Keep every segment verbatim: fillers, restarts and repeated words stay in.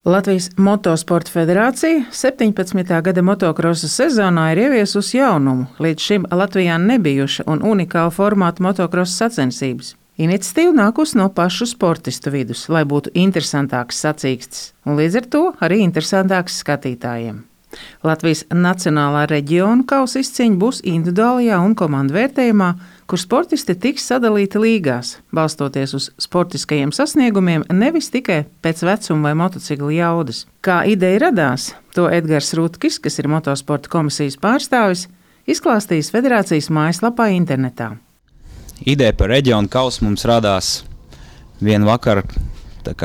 Latvijas Motosporta federācija septiņpadsmitā gada motokrosa sezonā ir ieviesusi jaunumu, līdz šim Latvijā nebijuša un unikāla formāta motokrosa sacensības. Iniciatīva nākusi no pašu sportistu vidus, lai būtu interesantāks sacīkstes, un līdz ar to arī interesantāks skatītājiem. Latvijas Nacionālā reģionu kausa izcīņa būs individuālajā un komandu vērtējumā, kur sportisti tiks sadalīti līgās, balstoties uz sportiskajiem sasniegumiem, nevis tikai pēc vecuma vai motocikla jaudas. Kā ideja radās, to Edgars Rutkis, kas ir motosporta komisijas pārstāvis, izklāstījis federācijas mājaslapā internetā. Ideja par reģionu kausu mums radās vienu vakaru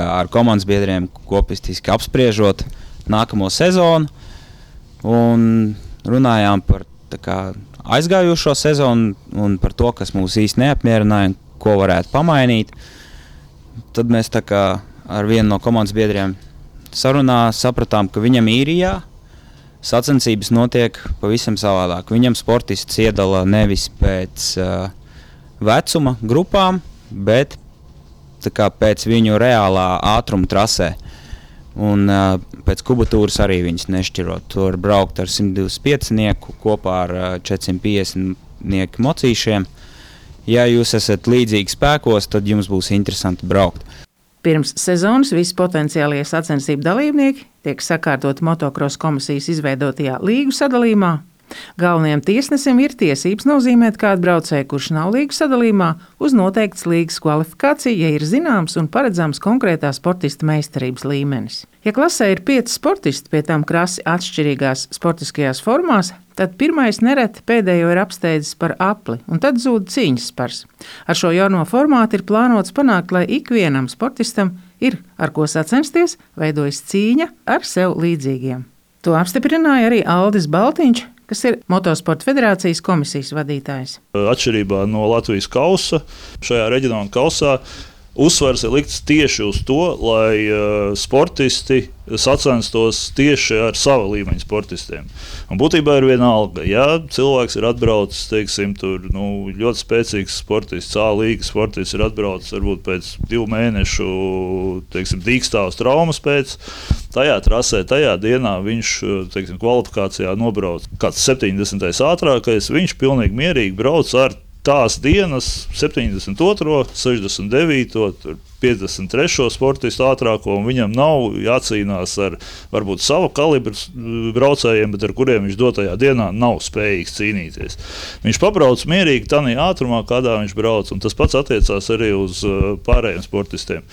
ar komandas biedriem kopistiski apspriežot nākamo sezonu un runājām par kā, aizgājušo sezonu un par to, kas mūs īsti neapmierināja un ko varētu pamainīt. Tad mēs tā kā ar vienu no komandas biedriem sarunā sapratām, ka viņam īrijā sacensības notiek pavisam savādāk. Viņam sportists iedala nevis pēc uh, vecuma grupām, bet tā kā pēc viņu reālā ātruma trasē. Un uh, pēc kubatūras arī viņas nešķirot. Tur braukt ar simt divdesmit piecinieku kopā ar uh, četrsimt piecdesmitnieku mocīšiem. Ja jūs esat līdzīgi spēkos, tad jums būs interesanti braukt. Pirms sezonas visi potenciālie sacensību dalībnieki tiek sakārtoti motokrosa komisijas izveidotajā līgu sadalījumā. Galvenajam tiesnesim ir tiesības nozīmēt kādu braucēju, kurš nav līgu sadalījumā, uz noteiktas līgas kvalifikāciju, ja ir zināms un paredzams konkrētā sportista meistarības līmenis. Ja klasē ir pieci sportisti, pie tam krasi atšķirīgās sportiskajās formās, tad pirmais nereti pēdējo ir apsteidzis par apli, un tad zūd cīņas spars. Ar šo jauno formātu ir plānots panākt, lai ikvienam sportistam ir ar ko sacensties, veidojas cīņa ar sev līdzīgiem. To apstiprināja arī Aldis Baltiņš, kas ir Motosporta federācijas komisijas vadītājs. Atšķirībā no Latvijas kausa, šajā reģionālajā kausā uzsvars ir likts tieši uz to, lai uh, sportisti sacenstos tieši ar sava līmeņa sportistiem. Un būtībā ir vienalga, ja cilvēks ir atbraucis, teiksim, tur, nu, ļoti spēcīgs sportists, A līgas sportists ir atbraucis varbūt pēc divu mēnešu, teiksim, dīkstāvas traumas pēc, tajā trasē, tajā dienā viņš, teiksim, kvalifikācijā nobrauc kāds septiņdesmitais ātrākais, viņš pilnīgi mierīgi brauc ar tās dienas septiņdesmit otro, sešdesmit devīto, piecdesmit trešo sportistu ātrāko, un viņam nav jācīnās ar varbūt savu kalibru braucējiem, bet ar kuriem viņš dotajā dienā nav spējīgs cīnīties. Viņš pabrauc mierīgi tādā ātrumā, kādā viņš brauc, un tas pats attiecās arī uz pārējiem sportistiem.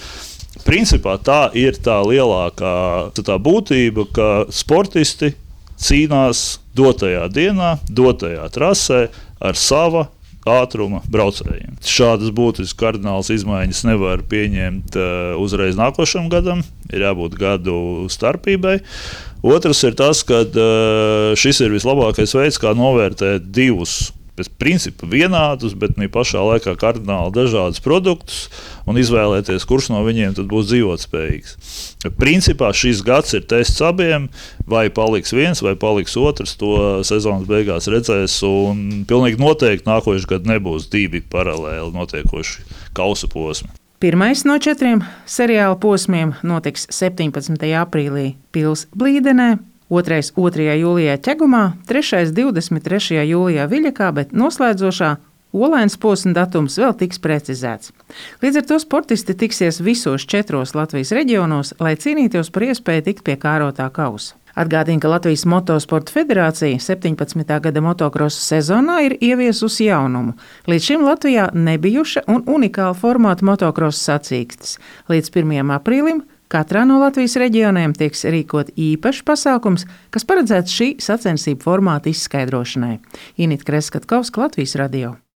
Principā tā ir tā lielākā tā būtība, ka sportisti cīnās dotajā dienā, dotajā trasē ar sava ātruma braucējiem. Šādas būtiskas kardinālas izmaiņas nevar pieņemt uh, uzreiz nākošam gadam, ir jābūt gadu starpībai. Otrs ir tas, ka uh, šis ir vislabākais veids, kā novērtēt divus pēc principa vienādus, bet ne pašā laikā kardināli dažādus produktus un izvēlēties, kurš no viņiem tad būs dzīvotspējīgs. Principā šis gads ir tests abiem, vai paliks viens, vai paliks otrs, to sezonas beigās redzēs, un pilnīgi noteikti nākošais gads nebūs divi paralēli notiekoši kausa posmi. Pirmais no četriem seriāla posmiem notiks septiņpadsmitajā aprīlī Pils Blīdenē, otrais otrajā jūlijā Ķegumā, trešais divdesmit trešajā jūlijā Viļakā, bet noslēdzošā Olainas posma datums vēl tiks precizēts. Līdz ar to sportisti tiksies visos četros Latvijas reģionos, lai cīnītos par iespēju tikt pie kārotā kausa. Atgādina, ka Latvijas Motosporta federācija septiņpadsmitā gada motokrosa sezonā ir ieviesusi jaunumu. Līdz šim Latvijā nebijuša un unikāla formāta motokrosa sacīkstes. Līdz pirmajam aprīlim katrā no Latvijas reģioniem tiks rīkot īpašs pasākums, kas paredzēts šī sacensību formāta izskaidrošanai. Inita Kreskatkovska, Latvijas radio.